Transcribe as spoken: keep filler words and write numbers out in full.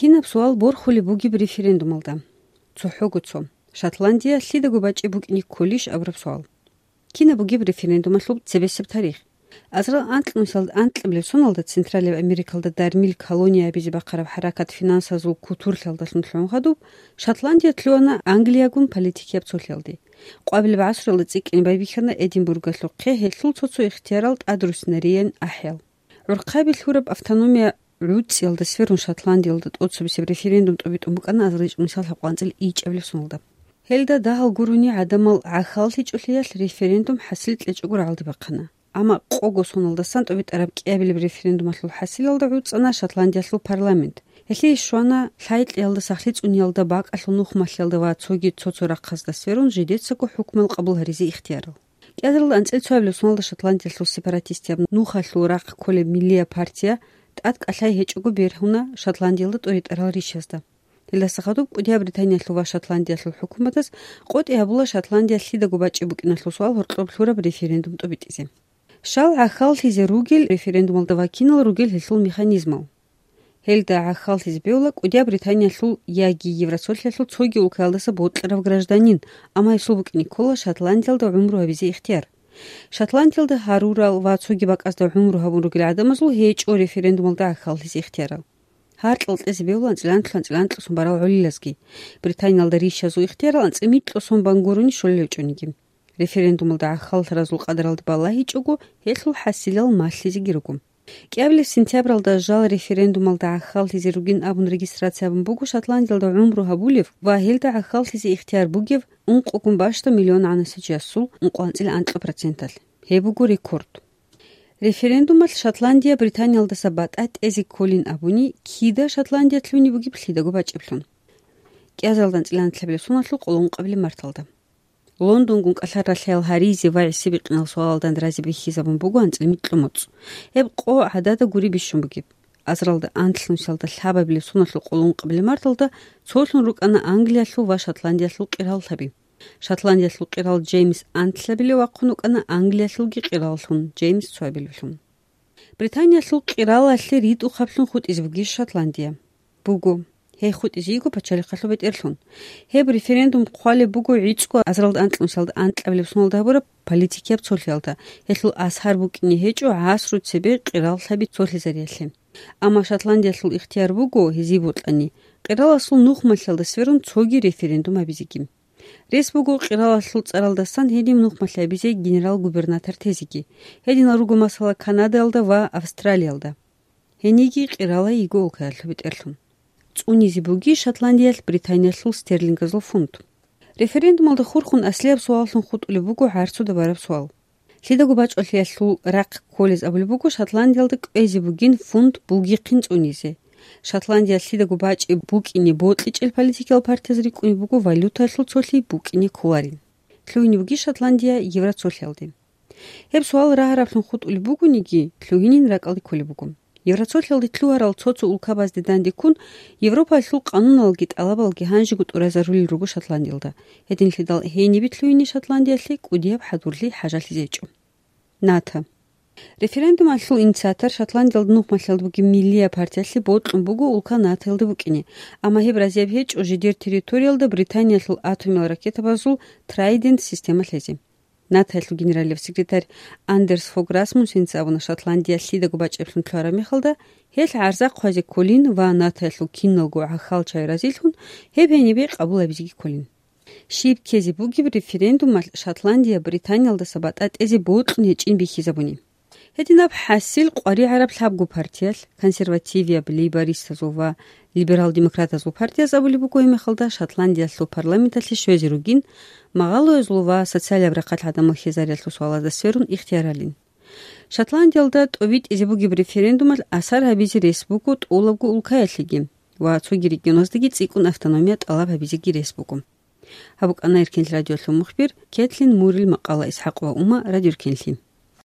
Кинаб суал борхулеб бугеб референдумалда? ЦохӀого цо. Шотландия лъидаго бачӀи букӀине кколищ абураб суал. Кинаб бугеб референдумалъул цебесеб тарих? Азарал анкьнусиялда анкьабилеб соналда Централияб Америкалда дармил колония абизе бахъараб хӀаракат финансазул кутурлъиялдалъун лъугӀун хадуб, Шотландия лъугьана Англиягун политикияб цолъиялде. Къвабилеб гӀасруялда цӀикӀкӀине байбихьана Эдинбургалъухъе гьелъул цо-цо ихтиярал тӀадруссинариян ахӀиял. ГӀурхъаби лъураб автономия гӀуцӀиялда сверун Шотландиялда тӀоцебесеб референдум тӀобитӀун букӀана азарилчӀ мисал гьаб къванцӀил ичӀабилеб соналда. Гьелда дагьал гурони гӀадамал гӀахьаллъичӀолъиялъ референдум хӀасил кьечӀого рагӀалде бахъана. Амма къого соналдасан тӀобитӀараб кӀиабилеб референдумалъул хӀасилалда гӀуцӀана Шотландиялъул парламент. Гьелъие щвана лъай-кьеялда сахлъи цӀуниялда бакӀалъул нухмалъиялда ва цоги цо-цо рахъазда сверун жидецаго хӀукмал къабул гьаризе ихтиярал. КӀиазарилда анцӀил цоабилеб соналда Шотландиялъул сепаратистияб нухалъул рахъ кколеб Миллия партия тӀад кӀалъай гьечӀого бергьуна Шотландиялда тӀоритӀарал ришазда. Гьелдаса хадуб кӀудияб Британиялъул ва Шотландиялъул хӀукуматаз къотӀи гьабула Шотландия лъидаго бачӀи букӀиналъул суал гьоркьоб лъураб референдум тӀобитӀизе. Щал гӀахьаллъизе ругел референдумалда ва кинал ругел гьелъул механизмал? Гьелда гӀахьаллъизе бегьула кӀудияб Британиялъул яги Евросолъиялъул цоги улкаялдаса бокьарав гражданин, амма гьесул букӀине ккола Шотландиялда гӀумру гьабизе ихтияр. Шотландиялда гьарурал ва цоги бакӀазда гӀумру гьабун ругел гӀадамазул гьечӀо референдумалда гӀахьаллъизе ихтиярал. Гьаркьал кьезе бегьула анцӀила анлъго анцӀила анкьго сон барал гӀолилазги. Британиялда ришазул ихтиярал анцӀила микьго сон бан гурони щолел гьечӀониги. Референдумалда гӀахьаллъаразул къадаралде балагьичӀого, гьелъул хӀасилал малъизеги руго. КӀиабилеб сентябралда жал референдумалда гӀахьаллъизе ругин абун регистрация гьабун буго Шотландиялда гӀумру гьабулев ва гьелда гӀахьаллъизе ихтияр бугев ункъогун бащдаб миллион гӀанасичиясул ункъо анцӀила анкьа проценталъ. Гьеб буго рекорд. Референдумалъ Шотландия Британиялдаса батӀа тӀезе кколин абуни, кида Шотландия лъугьине бугеб лъидаго бачӀиблъун? КӀиазарилда анцӀила анлъабилеб соналъул къоло ункъабилеб марталда. Лондонгун кӀалъар ралъаял гьаризе ва гӀисибикъинал суалалда рази бихьизабун буго анцӀила микьго моцӀ. Гьеб къо гӀадада гури бищун бугеб. Азаралда анлънусиялда лъабабилеб соналъул къоло ункъабилеб марталда цолъун рукӀана Англиялъул ва Шотландиялъул къираллъаби. Шотландиялъул къирал Джеймс анлъабилев вахъун вукӀана Англиялъулги къираллъун, Джеймс цоабилевлъун. Британиялъул къиралалъе ритӀухъаблъун хутӀизе бугищ Шотландия? Буго. Гьей хутӀизе йиго пачалихъалъул бетӀерлъун. Гьеб референдум хъвалеб буго гӀицӀго азаралда анкьнусиялда анкьабилеб соналда гьабураб политикияб цолъиялда, гьелъул асар букӀине гьечӀо гӀасру цебе къираллъаби цолъизариялъе. Амма Шотландиялъул ихтияр буго, гьезие бокьани, къираласул нухмалъиялда сверун цоги референдум гьабизеги. Рес буго къиралалъул цӀаралдасан гьедин нухмалъи гьабизе генерал-губернатор тезеги. Гьединал руго, масала, Канадаялда ва Австралиялда. Гьениги къирала йиго улкаялъул бетӀерлъун. ЦӀунизе буги Шотландиялъ Британиялъул стерлингазул фунт. Референдумалда хурхун аслияб суаллъун хутӀулеб буго гӀарцуда бараб суал. Лъидаго бачӀвалъиялъул рахъ кколез абулеб буго Шотландиялда кӀвезе бугин фунт бугихъин цӀунизе. Шотландия лъидаго бачӀи букӀине бокьичӀел политикиял партияз рикӀкӀунеб буго валютаялъул цолъи букӀине кколарин. Лъугьине буги Шотландия Евроцолъиялде? Гьеб суал рагӀараблъун хутӀулеб бугониги, лъугьинин ракӀалде кколеб буго. Евроцолъиялде лъугьарал цо-цо улкабазде дандеккун, Европаялъул къануналги тӀалабалги гьанжего тӀуразарулел руго Шотландиялда. Гьединлъидал гьенибе лъугьине Шотландиялъе кӀудияб хӀадурлъи хӀажалъизе гьечӀо. НАТО. Референдумалъул инициатор Шотландиялда нухмалъиялда бугеб Миллия партиялъе бокьун буго улка НАТОялда букӀине, амма гьеб разияб гьечӀо жидер территориялда Британиялъул атомиял ракетабазул Трайдент система лъезе. НАТОялъул генералияб секретарь Андерс Фог Расмуссенца абуна, Шотландия лъидаго бачӀаблъун лъугьараб мехалда, гьелъ гӀарза хъвазе кколин ва НАТОялъул киналго гӀахьалчагӀи разилъун, гьеб гьенибе къабул гьабизеги кколин. Щиб ккезе бугеб референдумалъ Шотландия Британиялдаса батӀа тӀезе бокьун гьечӀин бихьизабуни. Гьединаб хӀасил къваригӀараб лъабго партиялъ, консервативияб, лейбористазул ва либерал-демократазул партияз абулеб буго гьеб мехалда Шотландиялъул парламенталъе щвезе ругин, магъалоязул ва социалияб рахъалъ гӀадамал хьезариялъул суалазда сверун ихтияр гьалин. Шотландиялда тӀобитӀизе бугеб референдумалъ асар гьабизе рес буго тӀолабго улкаялъеги ва цоги регионаздаги цӀикӀкӀун автономия тӀалаб гьабизеги рес буго. Гьаб букӀана Эркенлъи радиолъул мухбир Кетлин Мурил макъала. ИсхӀакъ ва Ума, Радио Эркенлъи.